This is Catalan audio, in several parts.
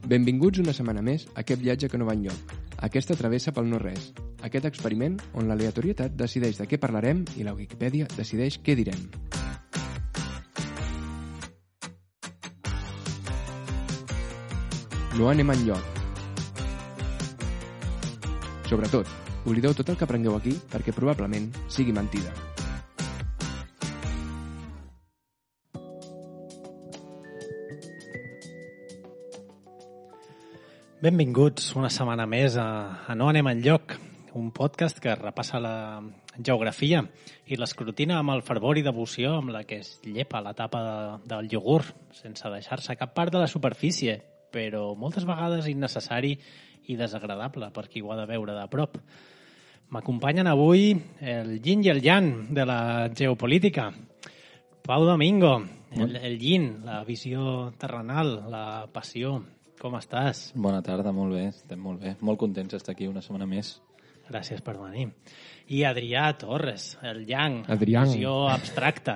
Benvinguts una setmana més a aquest viatge que no va enlloc, aquesta travessa pel no-res, aquest experiment on l'aleatorietat decideix de què parlarem i la Wikipedia decideix què direm. No anem enlloc. Sobretot, oblideu tot el que aprengueu aquí perquè probablement sigui mentida. Benvinguts una setmana més a No anem enlloc, un podcast que repassa la geografia i l'escrutina amb el fervor i devoció amb la que es llepa la tapa del iogurt, sense deixar-se cap part de la superfície, però moltes vegades innecessari i desagradable per qui ho ha de veure de prop. M'acompanyen avui el yin i el yang de la geopolítica. Pau Domingo, el yin, la visió terrenal, la passió. Com estàs? Bona tarda, molt bé, estem molt bé. Molt contents d'estar aquí una setmana més. Gràcies per venir. I Adrià Torres, el yang, Adrià. visió abstracta,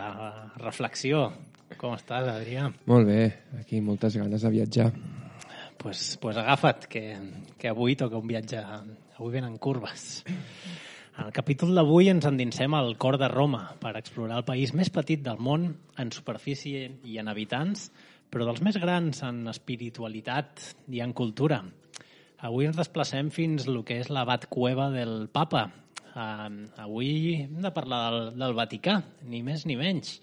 reflexió. Com estàs, Adrià? Molt bé, aquí moltes ganes de viatjar. Pues agafa't, que avui toca un viatge... Avui venen curves. En el capítol d'avui ens endinsem al cor de Roma per explorar el país més petit del món en superfície i en habitants, però dels més grans en espiritualitat i en cultura. Avui ens desplacem fins el que és l'abat cueva del Papa. Avui hem de parlar del Vaticà, ni més ni menys.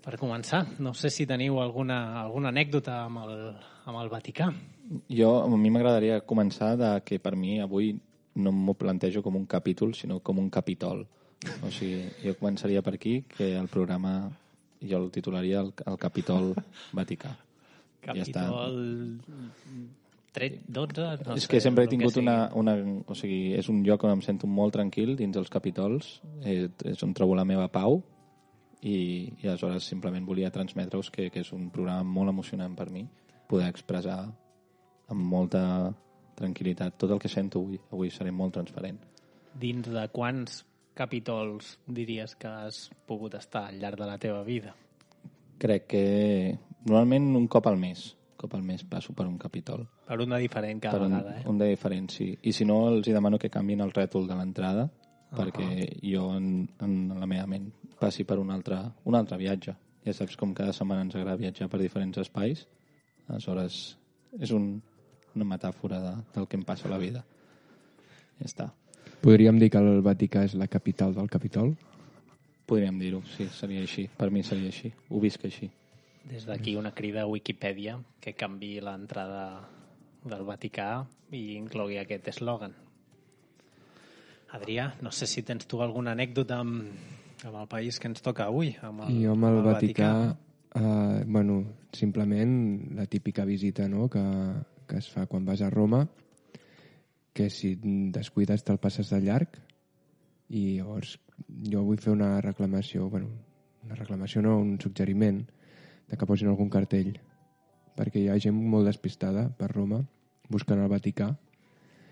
Per començar, no sé si teniu alguna anècdota amb el Vaticà. A mi m'agradaria començar que per mi avui no m'ho plantejo com un capítol, sinó com un capítol. O sigui, jo començaria per aquí, que el programa... Jo el titularia el Capítol Vaticà. Capítol 12? No és que sempre he tingut o sigui, és un lloc on em sento molt tranquil dins els capítols, és on trobo la meva pau i aleshores simplement volia transmetre-us que és un programa molt emocionant per mi, poder expressar amb molta tranquil·litat tot el que sento avui. Avui seré molt transparent. Dins de quants capítols diries que has pogut estar al llarg de la teva vida? Crec que normalment un cop al mes passo per un capítol. Per un de diferent cada vegada, Un de diferent, sí. I si no, els demano que canviïn el rètol de l'entrada perquè jo en la meva ment passi per un altre viatge. Ja saps com cada setmana ens agrada viatjar per diferents espais. Aleshores, és una metàfora del que em passa a la vida. Ja està. Podríem dir que el Vaticà és la capital del Capitol? Podríem dir-ho, sí, seria així. Per mi seria així. Ho visc així. Des d'aquí una crida a Wikipedia que canviï l'entrada del Vaticà i inclogui aquest eslògan. Adrià, no sé si tens tu alguna anècdota amb el país que ens toca avui. Jo amb el Vaticà, simplement la típica visita, no?, que es fa quan vas a Roma, que si descuides te'l passes de llarg, i llavors jo vull fer una reclamació, un suggeriment de que posin algun cartell, perquè hi ha gent molt despistada per Roma buscant el Vaticà.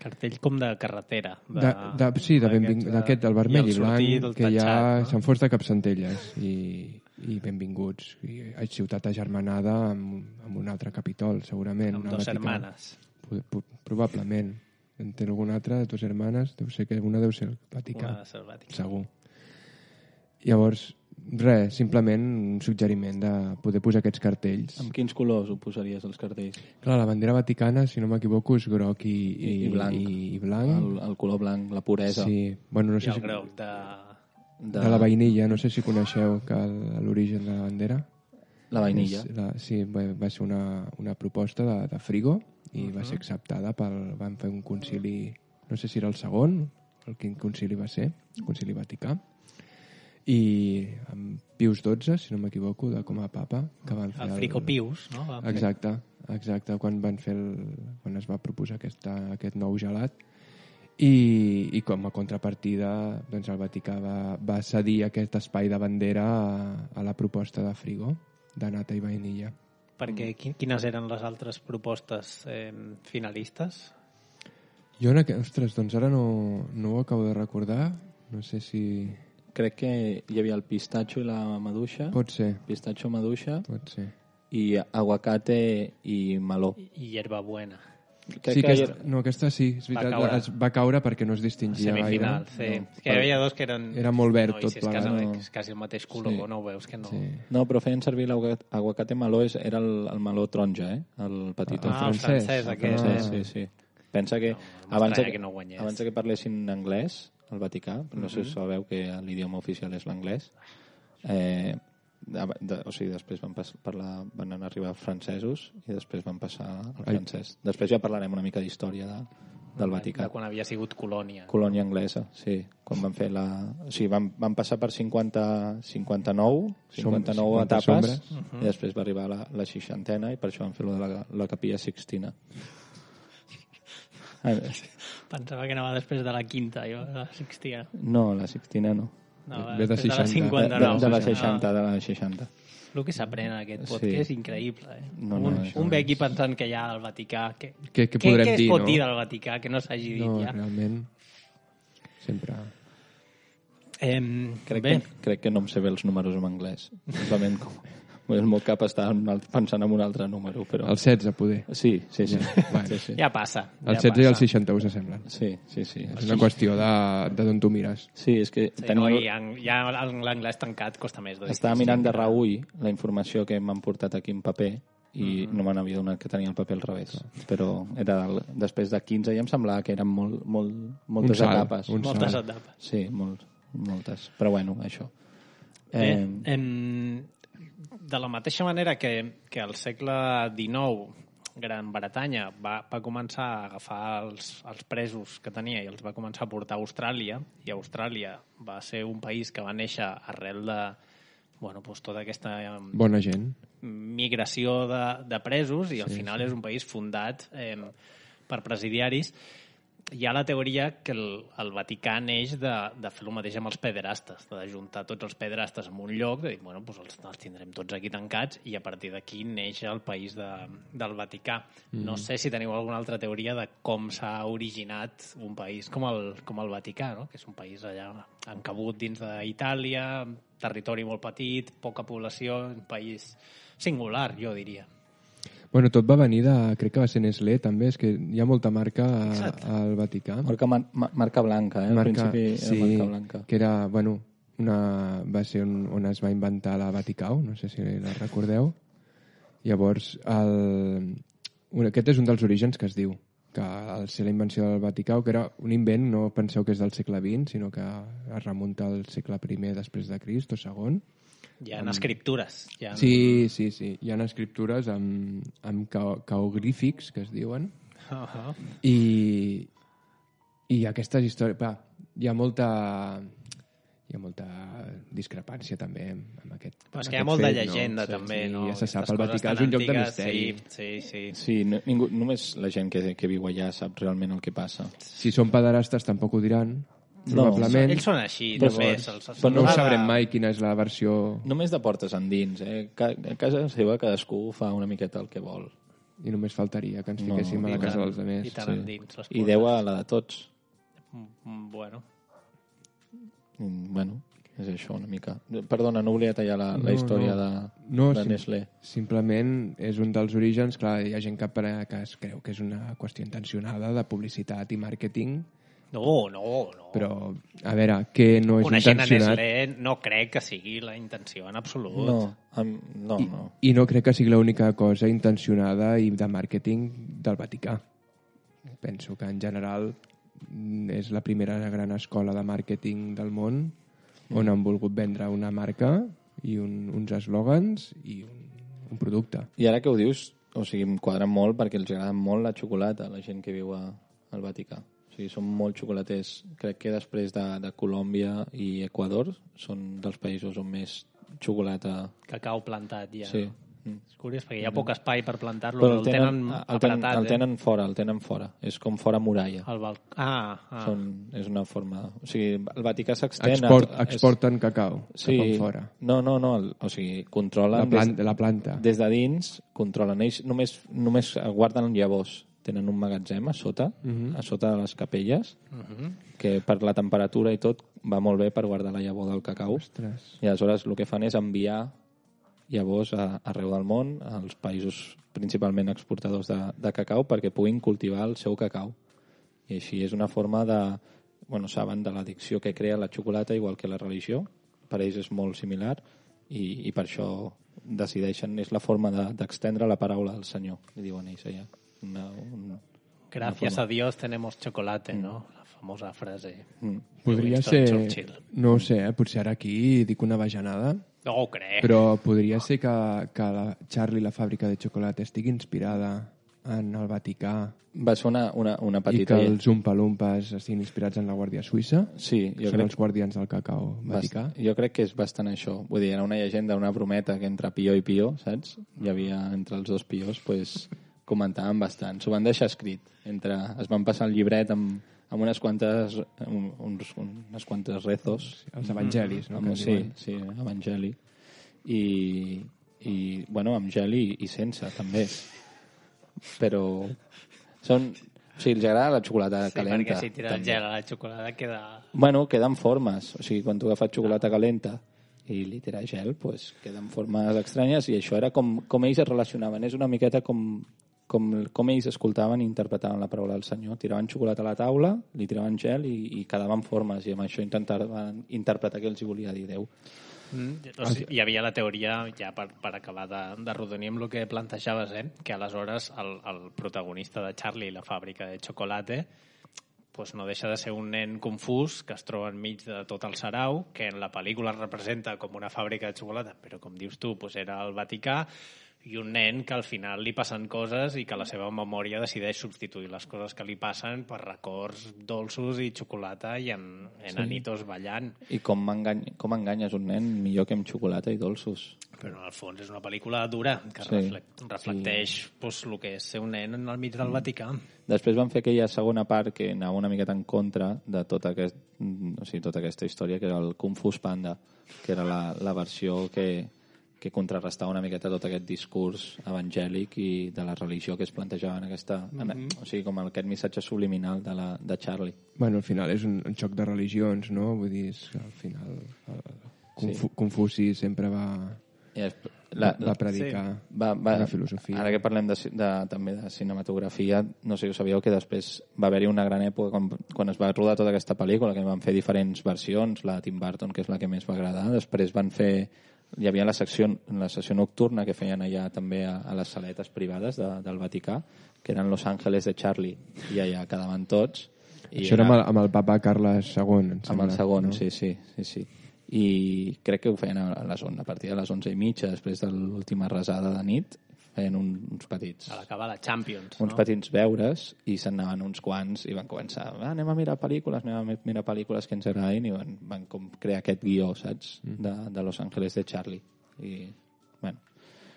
Cartell com de carretera. D'aquest, del vermell i blanc, que ja se'n fos de capcentelles i benvinguts. I ciutat agermanada amb un altre capítol, segurament. Amb dos hermanes. Probablement. En té alguna altra de dues hermanes, una deu ser el Vaticà. Segur. Llavors, res, simplement un suggeriment de poder posar aquests cartells. Amb quins colors ho posaries, els cartells? Clar, la bandera vaticana, si no m'equivoco, és groc i blanc. El color blanc, la puresa. Sí. No sé I el groc de la vainilla. No sé si coneixeu l'origen de la bandera. La vainilla. Sí, va ser una proposta de Frigo i va ser acceptada van fer un concili, no sé si era el segon, quin concili va ser, el concili Vaticà, i amb Pius XII, si no m'equivoco, com a papa, que van fer el Frigo Pius, no? Exacte, quan es va proposar aquest nou gelat, i com a contrapartida doncs el Vaticà va cedir aquest espai de bandera a la proposta de Frigo, de nata i vainilla. Perquè quines eren les altres propostes finalistes? Jo, doncs ara no ho acabo de recordar. No sé si... Crec que hi havia el pistatxo i la maduixa. Pot ser. Pistatxo, maduixa. Pot ser. i aguacate i meló. I hierbabuena. Sí, aquesta sí, és veritat, va caure perquè no es distingia semifinal, gaire. sí. No, que hi havia dos que eren... Era molt verd tot plegat. plegat. És quasi el mateix color, sí. No ho veus, que no... Sí. No, però feien servir l'aguacate meló, era el meló taronja, el petit. El francès aquest. Sí. Pensa que abans que parlessin anglès, al Vaticà, no sé si sabeu que l'idioma oficial és l'anglès, o sigui, després van arribar francesos i després van passar al francès. Després ja parlarem una mica d'història del Vaticà. De quan havia sigut colònia. Colònia anglesa, sí. Quan van fer o sigui, van passar per 59 etapes i després va arribar la 60a i per això van fer la Capilla Sixtina. Pensava que anava després de la quinta, jo, la Sixtina. No, la Sixtina no. Ve de 60. De la 60. El que s'aprèn en aquest podcast és increïble. Un ve aquí pensant que hi ha al Vaticà... Què podrem dir, es pot dir del Vaticà que no s'hagi dit ja? No, realment, sempre... Crec que no em sé bé els números en anglès. Simplement el meu cap està pensant en un altre número. Però... El 16, poder. Sí. Ja passa. El 16 i el 61 s'assemblen. Sí. És una qüestió d'on tu mires. Sí, és que... Ja l'anglès tancat costa més. Estava mirant de reull la informació que m'han portat aquí en paper i no me n'havia donat que tenia el paper al revés. Però després de 15 ja em semblava que eren moltes etapes. Moltes etapes. Sí, moltes. Però bueno, això. De la mateixa manera que al segle XIX Gran Bretanya va començar a agafar els presos que tenia i els va començar a portar a Austràlia, i Austràlia va ser un país que va néixer arrel de tota aquesta bona gent, migració de presos, i al final és un país fundat per presidiaris. Hi ha la teoria que el Vaticà neix de fer el mateix amb els pederastes, de juntar tots els pederastes en un lloc, de dir, els tindrem tots aquí tancats, i a partir d'aquí neix el país del Vaticà. No sé si teniu alguna altra teoria de com s'ha originat un país com el Vaticà, no? Que és un país allà encabut dins d'Itàlia, territori molt petit, poca població, un país singular, jo diria. Bueno, tot va venir crec que va ser Nestlé, també, és que hi ha molta marca al Vaticà. Marca blanca, al principi era marca blanca. Que era, va ser on es va inventar la Vaticau, no sé si la recordeu. Llavors, aquest és un dels orígens que es diu, que al ser la invenció del Vaticau, que era un invent, no penseu que és del segle XX, sinó que es remunta al segle I després de Crist o segon. Hi ha escriptures. Sí. Hi ha escriptures amb caogrífics, que es diuen. I aquestes històries... Hi ha molta discrepància també amb aquest Però és que hi ha molta llegenda, també. Ja se sap, el Vaticà és un lloc de misteri. Sí, només la gent que viu allà sap realment el que passa. Si són pederastes tampoc ho diran. Probablement. Ells són així, només. Però no ho sabrem mai quina és la versió... Només de portes endins, A casa seva cadascú fa una miqueta el que vol. I només faltaria que ens fiquéssim a la casa dels altres. I tant endins. I Déu a la de tots. Bueno, és això una mica. Perdona, no volia tallar la història de Nestlé. Simplement és un dels orígens. Clar, hi ha gent que es creu que és una qüestió intencionada de publicitat i màrqueting. No. Però, a veure, què no és coneixent intencionat... Coneixent a Nestlé, no crec que sigui la intenció en absolut. No. I no crec que sigui l'única cosa intencionada i de màrqueting del Vaticà. Penso que, en general, és la primera gran escola de màrqueting del món on han volgut vendre una marca i uns eslògans i un producte. I ara que ho dius, em quadra molt perquè els agrada molt la xocolata a la gent que viu al Vaticà. O sigui, són molt xocolaters. Crec que després de Colòmbia i Equador són dels països on més xocolata... Cacau plantat, ja. Sí. És curiós, perquè hi ha poc espai per plantar-lo, però el tenen apretat. El tenen fora. És com fora muralla. És una forma... O sigui, el Vaticà s'extén... Exporten cacau cap fora. No. O sigui, controlen... La planta. Des de dins, controlen. Ells només guarden llavors. Tenen un magatzem a sota de les capelles, que per la temperatura i tot va molt bé per guardar la llavor del cacau. Ostres. I aleshores el que fan és enviar llavors arreu del món, als països principalment exportadors de cacau, perquè puguin cultivar el seu cacau. I així és una forma de... Bueno, saben de l'addicció que crea la xocolata, igual que la religió. Per ells és molt similar i per això decideixen, és la forma d'extendre la paraula del Senyor, li diuen ells allà. Gracias a Dios tenemos chocolate, ¿no? La famosa frase. Podria Winston ser... Churchill. No ho sé, potser ara aquí dic una bajanada, No ho crec. però podria ser que la Charlie, la fàbrica de xocolata, estigui inspirada en el Vaticà Va ser una i petita... que els Umpa-Lumpas estiguin inspirats en la Guàrdia Suïssa. Sí, jo Són crec, els guardians del cacau vaticà. jo crec que és bastant això. Vull dir, era una llegenda, una brometa que entre Pío i Pío, saps? Hi havia entre els dos Píos, pues, comentaven bastant. S'ho van deixar escrit. Es van passar el llibret amb unes quantes rezos. Els evangelis, no? Que en Sí, diuen. sí, evangeli. I bueno, amb gel i sense, també. Però són... O sigui, els agrada la xocolata Sí, calenta. perquè si tira el també. gel a la xocolata queda... Bueno, queden formes. O sigui, quan tu agafes xocolata calenta i li tiras gel, pues, queden formes estranyes i això era com ells es relacionaven. És una miqueta com ells escoltaven i interpretaven la paraula del Senyor. Tiraven xocolata a la taula, li tiraven gel i quedaven formes i amb això intentaven interpretar què els hi volia dir Déu. O sigui, hi havia la teoria, ja per acabar de rodonir amb el que plantejaves, que aleshores el protagonista de Charlie i la fàbrica de xocolata pues no deixa de ser un nen confús que es troba enmig de tot el sarau, que en la pel·lícula es representa com una fàbrica de xocolata, però com dius tu, pues era el Vaticà, i un nen que al final li passen coses i que la seva memòria decideix substituir les coses que li passen per records dolços i xocolata i enanitos ballant. I com enganyes un nen millor que amb xocolata i dolços. Però al fons és una pel·lícula dura que reflecteix pues, el que és ser un nen al mig del Vaticà. Després van fer aquella segona part que anava una miqueta en contra de tota aquesta història, que era el Kung Fu Panda, que era la versió que contrarrestava una miqueta tot aquest discurs evangèlic i de la religió que es plantejava en aquesta... O sigui, com aquest missatge subliminal de Charlie. Bueno, al final és un xoc de religions, no? Vull dir, és que al final Confuci sempre va predicar una filosofia. Ara que parlem també de cinematografia, no sé si ho sabíeu que després va haver-hi una gran època quan es va rodar tota aquesta pel·lícula, que van fer diferents versions, la de Tim Burton, que és la que més va agradar, després van fer... Hi havia la sessió nocturna que feien allà també a les saletes privades del Vaticà, que eren Los Ángeles de Charlie, i allà quedaven tots. Això era amb el papa Carles II, em sembla. Amb el segon, no? sí. I crec que ho feien a partir de les 11:30, després de l'última resada de nit, feien uns petits... A l'acabar la Champions, uns petits veures i se'n anaven uns quants i van començar, anem a mirar pel·lícules que ens agradin i van com crear aquest guió, saps? De Los Ángeles de Charlie. I, bueno,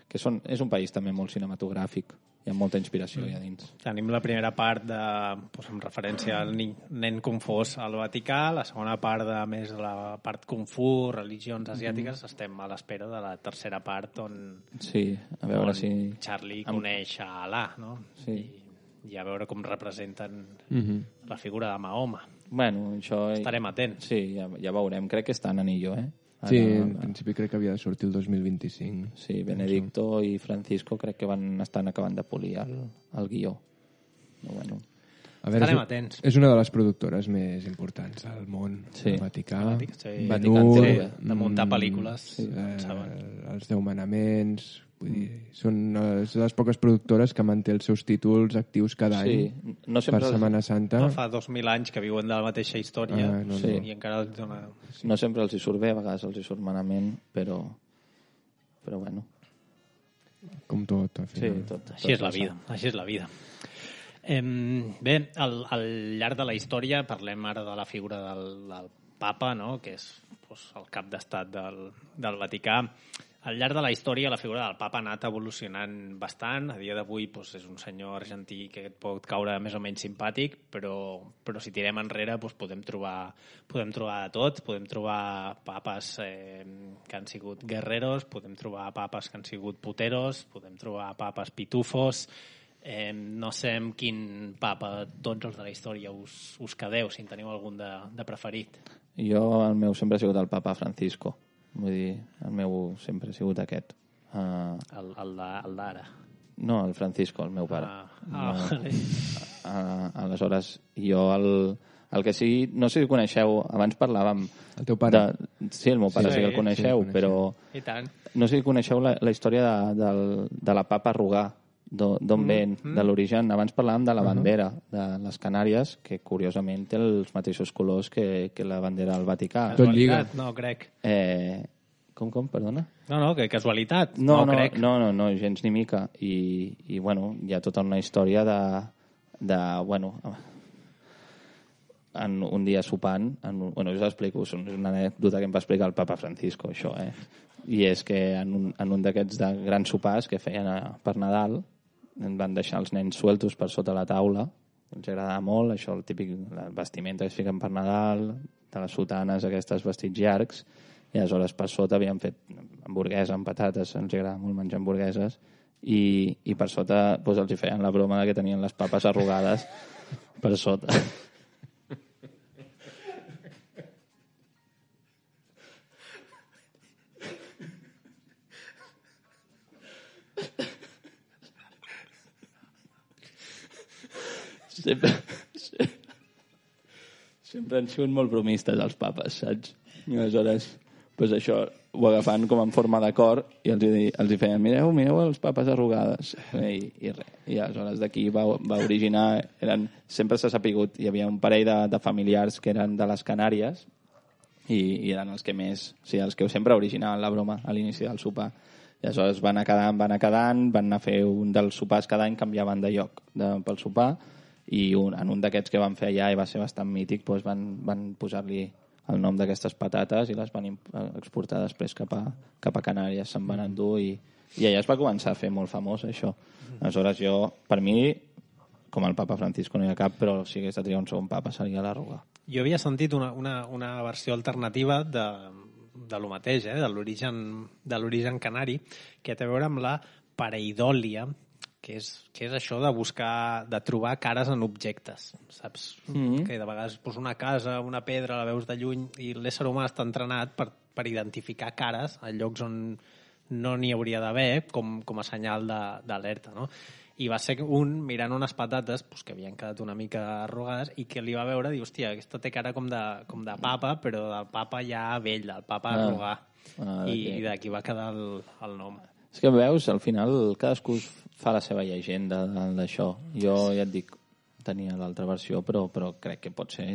que és un país també molt cinematogràfic. Hi ha molta inspiració allà dins. Tenim la primera part amb referència al nen confós al Vaticà, la segona part més la part Kung Fu, religions asiàtiques. Estem a l'espera de la tercera part on a veure si Charlie coneix a Alà, no? Sí. I a veure com representen la figura de Mahoma. Bueno, això... Estarem atents. Sí, ja veurem. Crec que està en anillo, Sí, en principi crec que havia de sortir el 2025. Sí, Benedicto i Francisco crec que estan acabant de polir el guió. Bueno. A veure, estarem atents. És una de les productores més importans del món, el Vaticà. Ben-Hur, de muntar pel·lícules. Els 10 manaments... Vull dir, són de les poques productores que manté els seus títols actius cada any per Setmana Santa. No fa 2.000 anys que viuen de la mateixa història i encara els dona... No sempre els hi surt bé, a vegades els hi surt malament, però bueno. Com tot, al final. Sí, tot. Així és la vida. Bé, al llarg de la història parlem ara de la figura del papa, no? Que és el cap d'estat del Vaticà. Al llarg de la història, la figura del papa ha anat evolucionant bastant. A dia d'avui és un senyor argentí que et pot caure més o menys simpàtic, però si tirem enrere podem trobar de tot. Podem trobar papes que han sigut guerreros, podem trobar papes que han sigut puteros, podem trobar papes pitufos. No sé amb quin papa tots els de la història us quedeu, si en teniu algun de preferit. Jo, el meu sempre ha sigut el papa Francisco. Vull dir, el meu sempre ha sigut aquest. El d'ara. No, el Francisco, el meu pare. Vale. Aleshores, jo el que sí... No sé si coneixeu... Abans parlàvem... El teu pare? Sí, el meu pare sí que el coneixeu, però... I tant. No sé si coneixeu la història de la papa arrugar, d'on ven, de l'origen. Abans parlàvem de la bandera de les Canàries, que curiosament té els mateixos colors que la bandera del Vaticà. Tot lliga. No, crec. Com, perdona? No, que casualitat. No, crec. No, gens ni mica. I bueno, hi ha tota una història bueno, un dia sopant, bueno, us ho explico, és una anècdota que em va explicar el papa Francisco, això, i és que en un d'aquests grans sopars que feien per Nadal en van deixar els nens sueltos per sota la taula, els agradava molt, això, el típic vestimenta que es fiquen per Nadal, de les sotanes, aquestes vestits llargs, i aleshores per sota havien fet hamburguesa amb patates, els agrada molt menjar hamburgueses, i per sota doncs, els hi feien la broma que tenien les papes arrugades per sota. Sempre han sigut molt bromistes els papes, saps? I aleshores, doncs això, ho agafen com en forma de cor i els hi feien, mireu les papes arrugades. I aleshores d'aquí va originar, sempre s'ha sapigut, hi havia un parell de familiars que eren de les Canàries i eren els que més, o sigui, els que sempre originaven la broma a l'inici del sopar. I aleshores van anar quedant, van anar a fer un dels sopars cada any, canviaven de lloc pel sopar, i en un d'aquests que van fer allà i va ser bastant mític, doncs van posar-li el nom d'aquestes patates i les van exportar després cap a Canàries, se'n van endur i allà es va començar a fer molt famós això. Aleshores per mi, com el papa Francisco no hi ha cap, però si hagués de triar un segon papa seria l'Arruga. Jo havia sentit una versió alternativa de lo mateix, de l'origen canari, que té a veure amb la pareidòlia, que és això de trobar cares en objectes, saps? Que de vegades una casa, una pedra, la veus de lluny, i l'ésser humà està entrenat per identificar cares a llocs on no n'hi hauria d'haver, com a senyal d'alerta, no? I va ser mirant unes patates que havien quedat una mica arrugades i que li va veure i dir, hòstia, aquesta té cara com de papa, però del papa ja vell, del papa arrugar. I d'aquí va quedar el nom. És que veus, al final cadascú fa la seva llegenda d'això. Jo ja et dic, tenia l'altra versió, però crec que pot ser...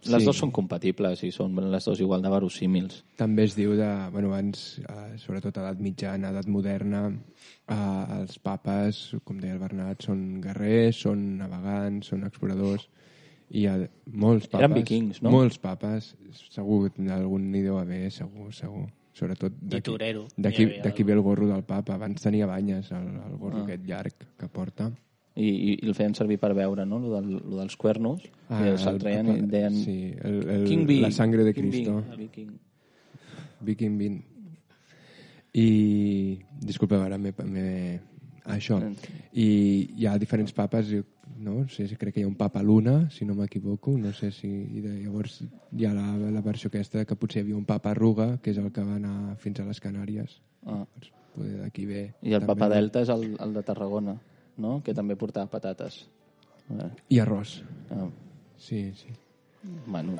Les dues són compatibles i són les dues igual de verosímils. També es diu abans, sobretot a edat mitjana, edat moderna, els papes, com deia el Bernat, són guerrers, són navegants, són exploradors, i hi ha molts papes... Eren vikings, no? Molts papes, segur, algun n'hi deu haver, segur. Sobretot d'aquí ve el gorro del papa. Abans tenia banyes, el gorro aquest llarg que porta. I el feien servir per veure, no? Lo dels cuernos, que se'l treien i deien... Sí, la sangre de Cristo. Viking Bean. I... Disculpeu, ara això. I hi ha diferents papes, no sé si crec que hi ha un papa Luna, si no m'equivoco, no sé si... Llavors hi ha la versió aquesta que potser hi havia un papa Arruga, que és el que va anar fins a les Canàries. Poder d'aquí ve. I el papa Delta és el de Tarragona, no? Que també portava patates. I arròs. Sí. Bueno...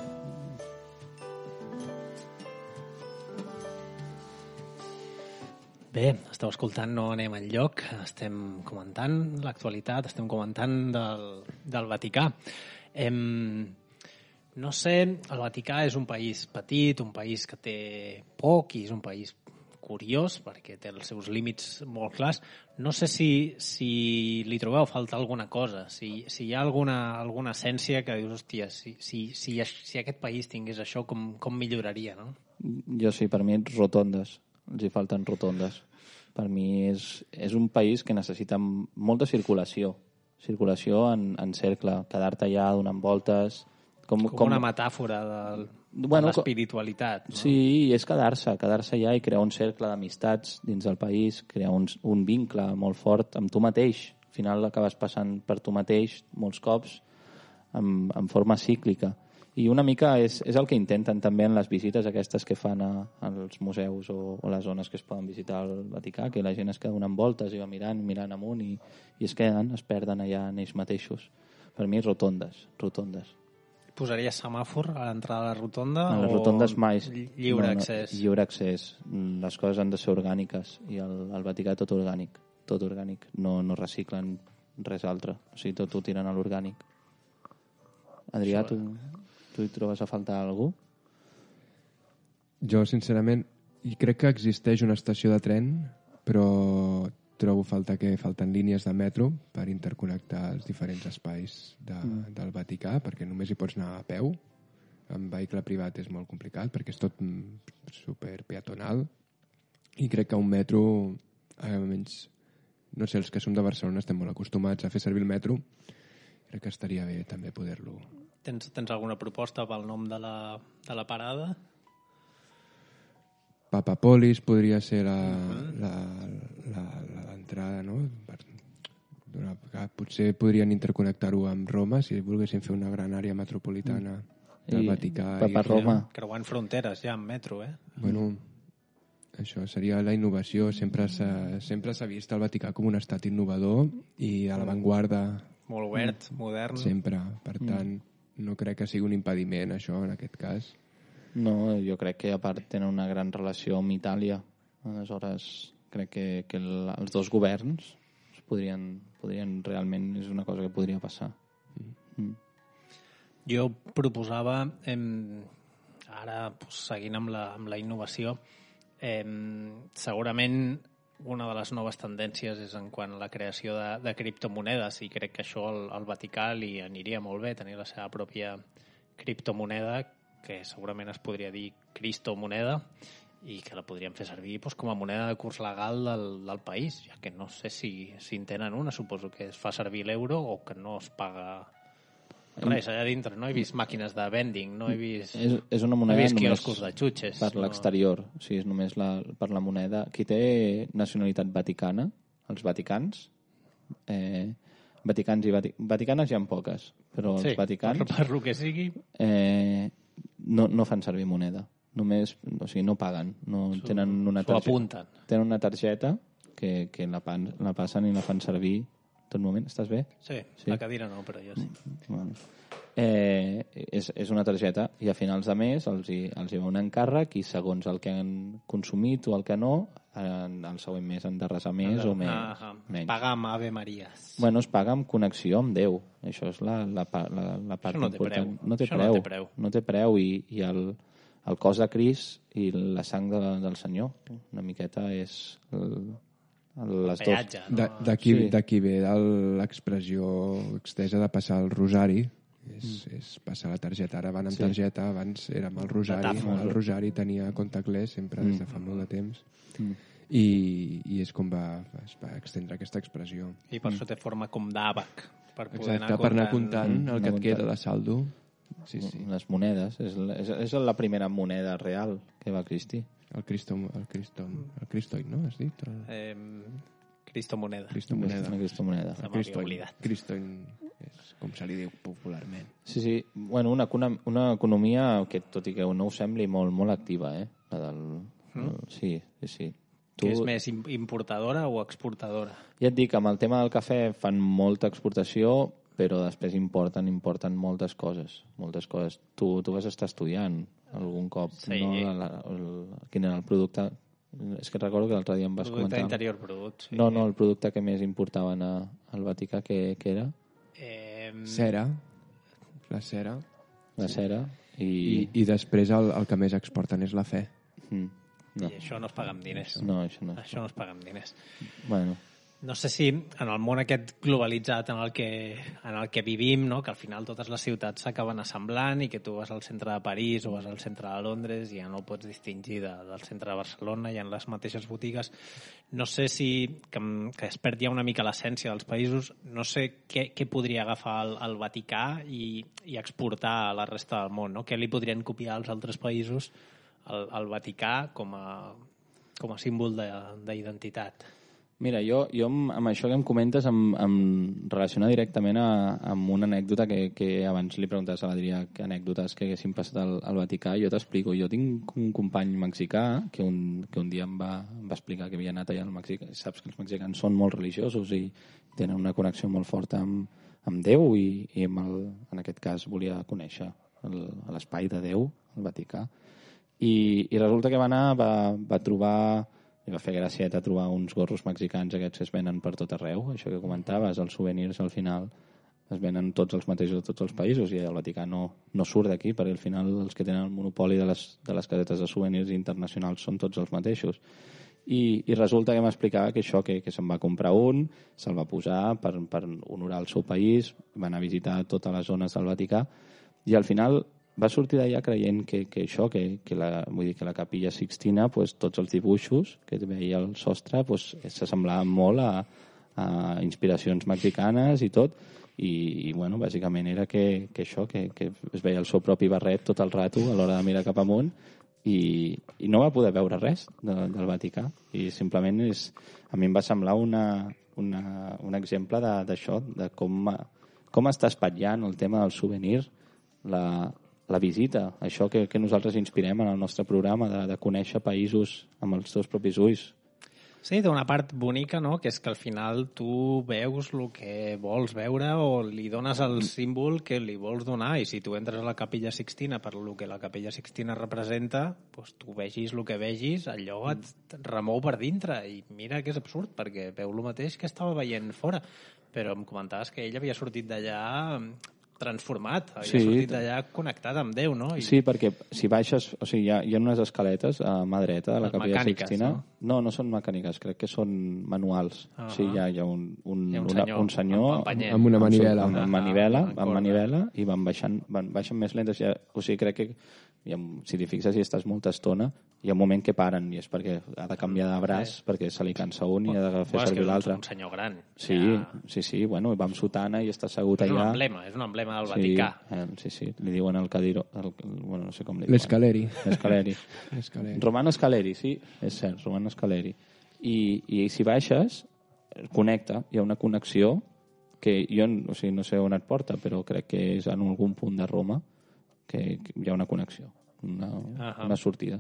Bé, esteu escoltant No anem enlloc, estem comentant l'actualitat, estem comentant del Vaticà. No sé, el Vaticà és un país petit, un país que té poc i és un país curiós perquè té els seus límits molt clars. No sé si li trobeu a faltar alguna cosa, si hi ha alguna essència que dius, hòstia, si aquest país tingués això, com milloraria, no? Jo sí, per mi rotondes. Els hi falten rotondes. Per mi és un país que necessita molta circulació. Circulació en cercle, quedar-te allà donant voltes... Com una metàfora de l'espiritualitat, no? Sí, és quedar-se allà i crear un cercle d'amistats dins del país, crear un vincle molt fort amb tu mateix. Al final acabes passant per tu mateix molts cops en forma cíclica. I una mica és el que intenten també en les visites aquestes que fan als museus o les zones que es poden visitar al Vaticà, que la gent es queda donant voltes i va mirant amunt i es queden, es perden allà en ells mateixos. Per mi, rotondes. Posaries semàfor a l'entrada de la rotonda? En les rotondes mai. Lliure accés? Lliure accés. Les coses han de ser orgàniques i al Vaticà tot orgànic. No reciclen res altre. O sigui, tot ho tiren a l'orgànic. Adrià, tu hi trobes a faltar algú? Jo, sincerament, crec que existeix una estació de tren, però trobo que falten línies de metro per interconnectar els diferents espais del Vaticà, perquè només hi pots anar a peu. En vehicle privat és molt complicat, perquè és tot super peatonal. I crec que un metro, almenys, no sé, els que som de Barcelona estem molt acostumats a fer servir el metro. Crec que estaria bé també poder-lo. Tens alguna proposta pel nom de la parada? Papapolis podria ser l'entrada, no? Potser podrien interconnectar-ho amb Roma si volguessin fer una gran àrea metropolitana del Vaticà. Roma. Creuant fronteres ja amb metro, Bueno, això seria la innovació. Sempre s'ha vist el Vaticà com un estat innovador i a l'avantguarda. Molt obert, modern. Sempre. Per tant, no crec que sigui un impediment, això, en aquest cas. No, jo crec que a part tenen una gran relació amb Itàlia. Aleshores, crec que els dos governs podrien realment, és una cosa que podria passar. Jo proposava, ara seguint amb la innovació, segurament una de les noves tendències és en quant a la creació de criptomonedes, i crec que això al Vaticà li aniria molt bé, tenir la seva pròpia criptomoneda, que segurament es podria dir cristomoneda, i que la podríem fer servir com a moneda de curs legal del país, ja que no sé si en tenen una, suposo que es fa servir l'euro o que no es paga res allà dintre. No he vist màquines de vending, no he vist, és una moneda quioscos de xutxes. Per l'exterior, o sigui, és només per la moneda. Qui té nacionalitat vaticana, els vaticans, vaticanes hi ha poques, però els vaticans... Per lo que sigui... no fan servir moneda. Només, o sigui, no paguen. Tenen una targeta. Tenen una targeta que la passen i la fan servir tot moment. Estàs bé? Sí, la cadira no, però jo sí. Bueno. És una targeta i a finals de mes els hi va un encàrrec i segons el que han consumit o el que no, el següent mes han de resar més o menys. Pagar amb Ave Maries. Bueno, es paga amb connexió amb Déu. Això és la part important. No té preu i el cos de Crist i la sang del Senyor. Una miqueta és les peatge, dos. D'aquí ve l'expressió extesa de passar el rosari. És passar la targeta. Ara van amb targeta, abans era amb el rosari. El rosari tenia contactless sempre des de fa molt de temps. I és com es va extendre aquesta expressió. I per això té forma com d'àbac. Per anar comptant el que et queda de saldo. Sí. Les monedes. És la primera moneda real que va existir. El cristoid, no? Has dit? Cristomoneda. Cristomoneda. Cristoid és com se li diu popularment. Sí. Bueno, una economia que, tot i que no ho sembli, molt, molt activa, Sí. Que és més importadora o exportadora? Ja et dic, amb el tema del cafè fan molta exportació, però després importen moltes coses. Tu vas estar estudiant algun cop, no? Quin era el producte? És que recordo que l'altre dia em vas comentar. Producte interior brut, sí. No, el producte que més importaven al Vaticà, que era? Cera. La cera. La cera. I després el que més exporten és la fe. No. I això no es paga amb diners. No, això no es paga amb diners. Bueno. No sé si en el món aquest globalitzat en el que vivim, no? Que al final totes les ciutats s'acaben assemblant i que tu vas al centre de París o vas al centre de Londres i ja no pots distingir del centre de Barcelona i en les mateixes botigues. No sé si que es perd ja una mica l'essència dels països. No sé què podria agafar el Vaticà i exportar a la resta del món, no? Què li podrien copiar als altres països al Vaticà com a símbol d'identitat? Mira, jo amb això que em comentes em relaciona directament amb una anècdota que abans li preguntaves a l'Adrià que anècdotes que haguessin passat al Vaticà. Jo t'explico. Jo tinc un company mexicà que un dia em va explicar que havia anat allà al Mèxic. Saps que els mexicans són molt religiosos i tenen una connexió molt forta amb Déu i en aquest cas volia conèixer l'espai de Déu, el Vaticà. I resulta que va anar, va trobar... I va fer gracieta trobar uns gorros mexicans aquests que es venen per tot arreu. Això que comentaves, els souvenirs al final es venen tots els mateixos de tots els països i el Vaticà no surt d'aquí perquè al final els que tenen el monopoli de les casetes de souvenirs internacionals són tots els mateixos. I resulta que m'explicava que això, que se'n va comprar un, se'l va posar per honorar el seu país, va anar a visitar totes les zones del Vaticà i al final va sortir d'allà creient que la Capilla Sixtina, pues, tots els dibuixos que veia al sostre pues, s'assemblaven molt a inspiracions mexicanes i tot, i bueno, bàsicament era que es veia el seu propi barret tot el rato a l'hora de mirar cap amunt i no va poder veure res del Vaticà, i simplement a mi em va semblar un exemple d'això, de com està espatllant el tema del souvenir, la visita, això que nosaltres inspirem en el nostre programa de conèixer països amb els teus propis ulls. Sí, té una part bonica, no?, que és que al final tu veus el que vols veure o li dones el símbol que li vols donar, i si tu entres a la Capella Sixtina per el que la Capella Sixtina representa, doncs tu vegis el que vegis, allò et remou per dintre, i mira que és absurd, perquè veu el mateix que estava veient fora. Però em comentaves que ell havia sortit d'allà transformat, havia sortit d'allà connectat amb Déu, no? Sí, perquè si baixes, o sigui, hi ha unes escaletes a mà dreta de la Capella Sixtina. No són mecàniques, crec que són manuals. O sigui, hi ha un senyor amb una manivela. Amb manivela, i baixen més lentes. O sigui, crec que si t'hi fixes i estàs molta estona, hi ha un moment que paren, i és perquè ha de canviar de braç, perquè se li cansa un i ha de fer servir l'altre. És un senyor gran. Sí, bueno, va amb sotana i està assegut allà. És un emblema del Vaticà. Sí, li diuen el cadiro, bueno, no sé com li diuen. L'escaleri. Romano Scaleri, sí, és cert, Romano Scaleri. I si baixes, connecta, hi ha una connexió que jo no sé on et porta, però crec que és en algun punt de Roma que hi ha una connexió, una sortida.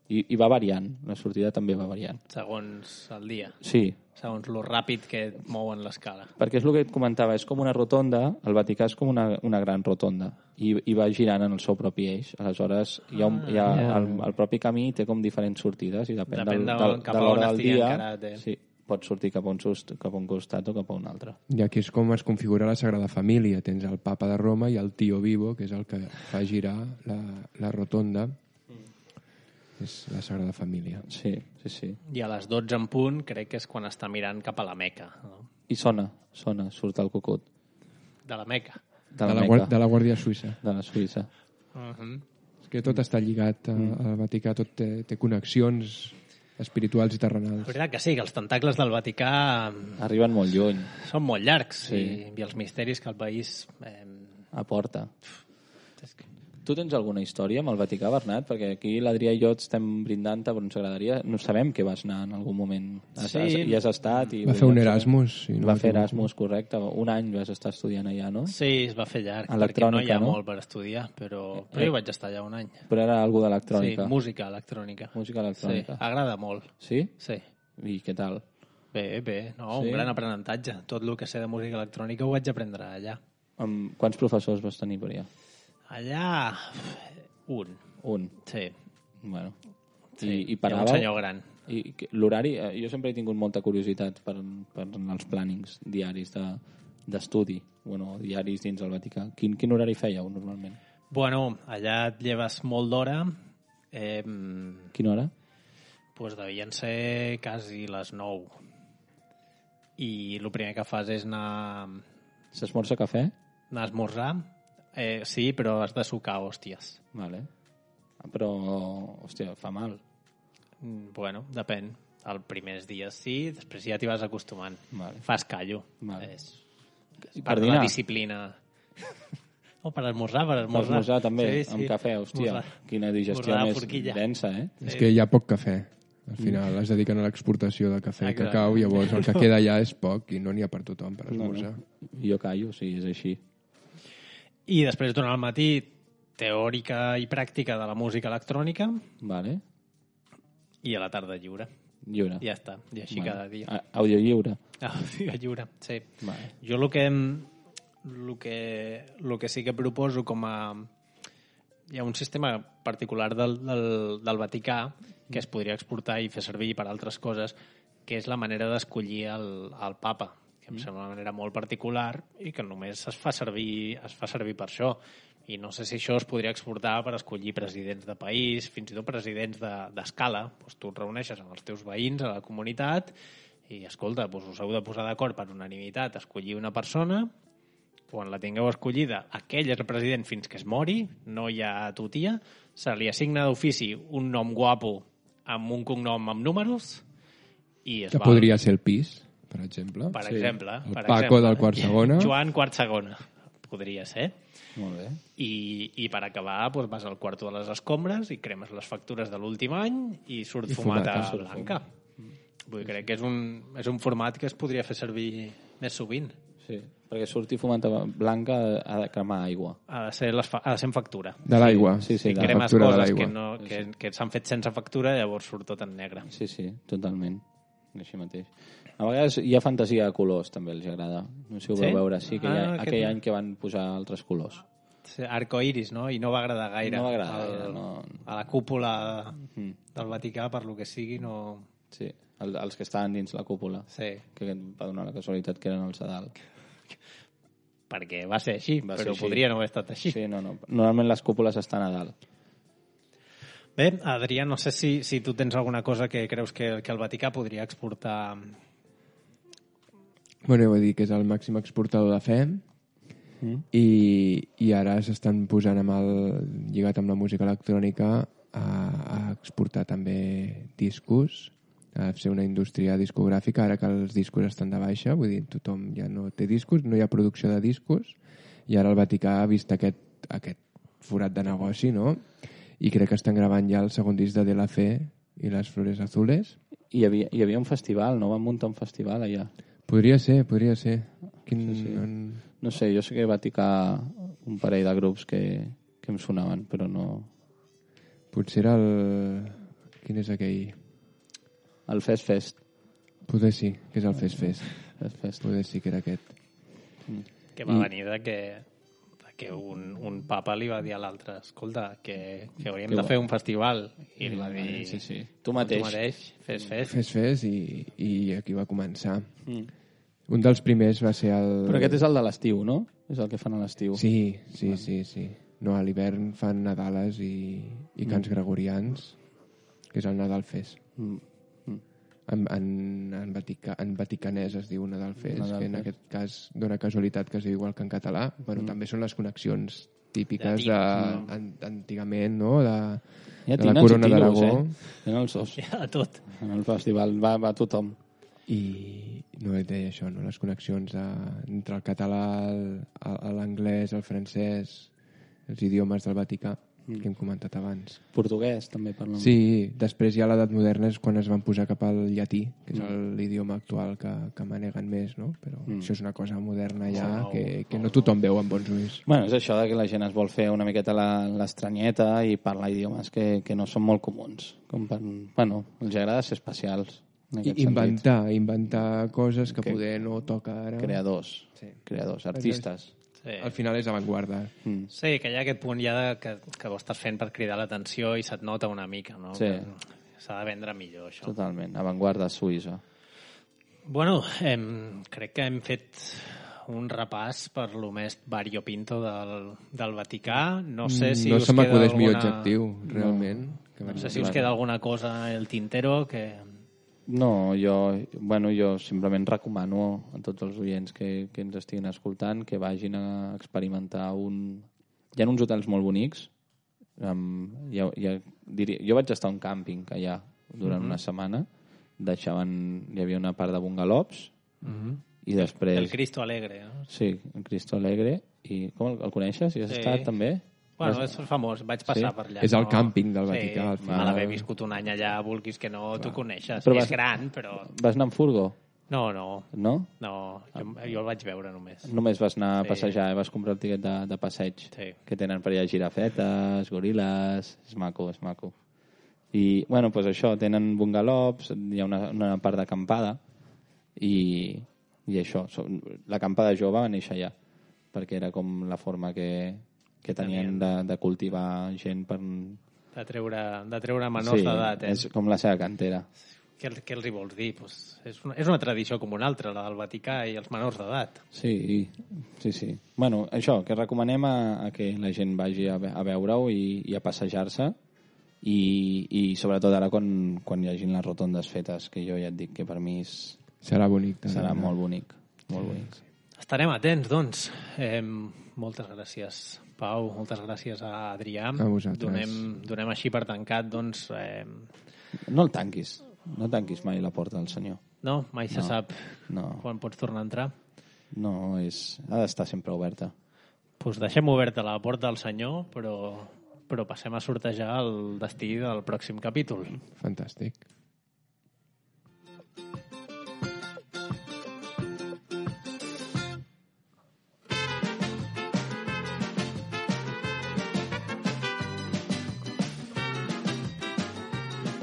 I va variant, la sortida també va variant. Segons el dia. Sí. Segons lo ràpid que mouen l'escala. Perquè és el que et comentava, és com una rotonda, el Vaticà és com una gran rotonda, i va girant en el seu propi eix. Aleshores, el propi camí té com diferents sortides, i depèn de l'hora del dia, sí, pots sortir cap a un costat o cap a un altre. I aquí és com es configura la Sagrada Família. Tens el papa de Roma i el Tío Vivo, que és el que fa girar la rotonda. És la Sagrada Família. Sí. I a les 12 en punt crec que és quan està mirant cap a la Meca. No? I sona, surt el cucut. De la Meca. De la Guàrdia Suïssa. De la Suïssa. És que tot està lligat al Vaticà, tot té connexions espirituals i terrenals. És veritat que sí, que els tentacles del Vaticà arriben molt lluny. Són molt llargs, i els misteris que el país aporta. Tu tens alguna història amb el Vaticà, Bernat? Perquè aquí l'Adrià i jo estem brindant-te, però ens agradaria... No sabem que vas anar en algun moment. I has estat... Va fer un Erasmus. Va fer Erasmus, correcte. Un any vas estar estudiant allà, no? Sí, es va fer llarg, perquè no hi ha molt per estudiar, però jo vaig estar allà un any. Però era algú d'electrònica. Sí, música electrònica. Sí, agrada molt. Sí? Sí. I què tal? Bé, un gran aprenentatge. Tot el que sé de música electrònica ho vaig aprendre allà. Quants professors vas tenir per allà? Allà, un. Sí. Bueno. Sí. I paràveu? Un senyor gran. I l'horari, jo sempre he tingut molta curiositat per els plànings diaris d'estudi, diaris dins el Vaticà. Quin horari fèieu, normalment? Bueno, allà et lleves molt d'hora. Quina hora? Pues devien ser quasi les 9. I el primer que fas és anar... S'esmorza cafè? Anar a esmorzar. Sí, però has de sucar hòsties. Vale. Però, hòstia, fa mal. Bueno, depèn. Els primers dies sí, després ja t'hi vas acostumant. Vale. Fas callo. Vale. És part de la disciplina. Per esmorzar. Per esmorzar també, sí. Amb cafè, hòstia. Quina digestió més densa, És que hi ha poc cafè. Al final es dediquen a l'exportació de cafè i Exacte. cacau, llavors el que queda allà és poc i no n'hi ha per tothom per esmorzar. Jo callo, sí, és així. I després, durant el matí, teòrica i pràctica de la música electrònica, Vale. i a la tarda lliure. Lliure. Ja està, i així cada dia. Àudio lliure. Lliure, sí. Vale. Jo el que sí que proposo com a... Hi ha un sistema particular del Vaticà que es podria exportar i fer servir per altres coses, que és la manera d'escollir el papa, que em sembla una manera molt particular i que només es fa servir per això. I no sé si això es podria exportar per escollir presidents de país, fins i tot presidents d'escala. Doncs tu et reuneixes amb els teus veïns a la comunitat i, escolta, doncs us heu de posar d'acord per unanimitat, escollir una persona, quan la tingueu escollida, aquell és el president fins que es mori, no hi ha tutia, se li assigna d'ofici un nom guapo amb un cognom amb números i es Que va. podria ser el pis, per exemple. Per exemple. El Paco del quart segona. Joan quart segona. Podria ser. Molt bé. I per acabar doncs vas al quarto de les escombres i cremes les factures de l'últim any i surt I fumata fumata. blanca. Vull dir, crec que és un format que es podria fer servir més sovint. Sí, perquè sortir fumata blanca ha de cremar aigua. Ha de ser en factura. De l'aigua. Sí, sí, Si de la cremes factura de coses l'aigua. que s'han fet sense factura, llavors surt tot en negre. Sí, sí, totalment. Així mateix. A vegades hi ha fantasia de colors, també els agrada. No sé si ho Sí? vau veure. Sí, que aquell aquest- any que van posar altres colors. Arcoiris, no? I no va agradar gaire. No va agradar gaire, no. A la cúpula del Vaticà, per lo que sigui, no... Sí, els que estaven dins la cúpula. Sí, Que va donar la casualitat que eren els de dalt. perquè va ser així, Va ser però així. podria no haver estat així. Sí, no. Normalment les cúpules estan a dalt. Bé, Adrià, no sé si tu tens alguna cosa que creus que el Vaticà podria exportar. Bueno, jo vull dir que és el màxim exportador de fe i ara s'estan posant lligat amb la música electrònica a exportar també discos, a fer una indústria discogràfica, ara que els discos estan de baixa, vull dir, tothom ja no té discos, no hi ha producció de discos, i ara el Vaticà ha vist aquest forat de negoci, no? I crec que estan gravant ja el segon disc de la Fe i les Flores Azules. Hi havia un festival, no? Van muntar un festival allà. Podria ser. Sí. No sé, jo sé que va ticar un parell de grups que em sonaven, però no... Potser era el... Quin és aquell? El Fest. Poder sí, que és el Fest. Fest. Poder sí que era aquest. Que va venir de que un papa li va dir a l'altre, escolta, que hauríem de fer un festival. I li va dir, Sí. Tu mateix. fes. Fest i aquí va començar. Un dels primers va ser el... Però aquest és el de l'estiu, no? És el que fan a l'estiu. Sí. No, a l'hivern fan Nadales i cants gregorians, que és el Nadal Fest. En vaticanès es diu Nadal Fest, Nadal que en Fest. aquest cas dona casualitat que es diu igual que en català. Bueno, també són les connexions típiques antigament, no? De la Corona d'Aragó. En els dos. Ja, de tot. En el festival va tothom. I no et deia això, no? Les connexions entre el català, l'anglès, el francès, els idiomes del Vaticà, que hem comentat abans. Portuguès, també parlen. Sí, després ja a l'edat moderna és quan es van posar cap al llatí, que és l'idioma actual que maneguen més, no? Però això és una cosa moderna ja que no tothom veu amb bons ulls. Bueno, és això de que la gent es vol fer una miqueta l'estranyeta i parlar idiomes que no són molt comuns. Bueno, els agrada ser especials. I inventar coses que poder no toca ara. Creadors, artistes. Sí. Al final és avantguarda. Sí, que hi ha aquest punt ja que ho estàs fent per cridar l'atenció i se't nota una mica, no? Sí. S'ha de vendre millor, això. Totalment, avantguarda suïssa. Bueno, crec que hem fet un repàs per lo més variopinto del Vaticà. No sé si no us se queda m'acudeix millor alguna... objectiu, realment. No sé si us queda alguna cosa al tintero que... No, jo simplement recomano a tots els oients que ens estiguin escoltant que vagin a experimentar Hi ha uns hotels molt bonics. Jo vaig estar a un càmping allà durant una setmana. Hi havia una part de bungalows i després... El Cristo Alegre, no? Sí, el Cristo Alegre. I com el coneixes? Hi has estat també? Bueno, és famós, vaig passar per allà. És el càmping del Vaticà, al Sí, final. mal haver viscut un any allà, vulguis que no, tu coneixes. Però És gran, però... Vas anar amb furgo? No, No? jo el vaig veure només. Només vas anar a passejar, vas comprar el tiquet de passeig. Sí. Que tenen per allà girafetes, goril·les... És maco, és maco. I, bueno, doncs això, tenen bungalows, hi ha una part d'acampada i això, l'acampada jove va néixer allà, perquè era com la forma que tenien de cultivar gent per... De treure menors d'edat, és com la seva cantera. Què els hi vols dir? Pues és una tradició com una altra, la del Vaticà i els menors d'edat. Sí. Bueno, això, que recomanem a que la gent vagi a veure-ho i a passejar-se i sobretot ara quan hi hagin les rotondes fetes, que jo ja et dic que per mi serà bonic. Serà molt bonic. Molt bonic. Estarem atents, doncs. Moltes gràcies, Pau. Moltes gràcies a Adrià. A vosaltres. Donem així per tancat, doncs... No el tanquis. No tanquis mai la porta del senyor. No? Mai se sap quan pots tornar a entrar? No, ha d'estar sempre oberta. Doncs deixem oberta la porta del senyor, però passem a sortejar el destí del pròxim capítol. Fantàstic.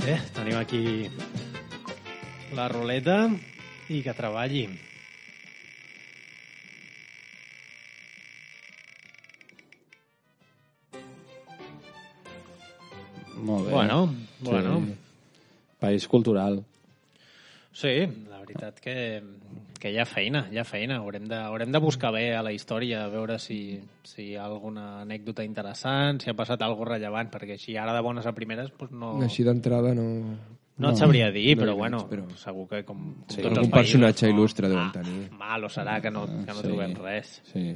Bé, tenim aquí la ruleta i que treballi. Molt bé. Bueno. País cultural. Sí, la veritat que hi ha feina. Haurem de buscar bé a la història, a veure si hi ha alguna anècdota interessant, si ha passat alguna rellevant, perquè així ara de bones a primeres doncs no... Així d'entrada no... No et sabria dir, però veig, bueno, però... segur que com Sí. tots els Algun països, personatge il·lustre deuen tenir. Malo serà que no trobem res. Sí,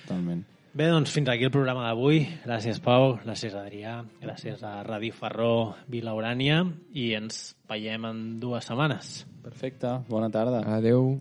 totalment. Bé, doncs fins aquí el programa d'avui. Gràcies, Pau, gràcies, Adrià, gràcies a Ràdio Ferró Vila Urània i ens veiem en 2 setmanes. Perfecte, bona tarda. Adeu.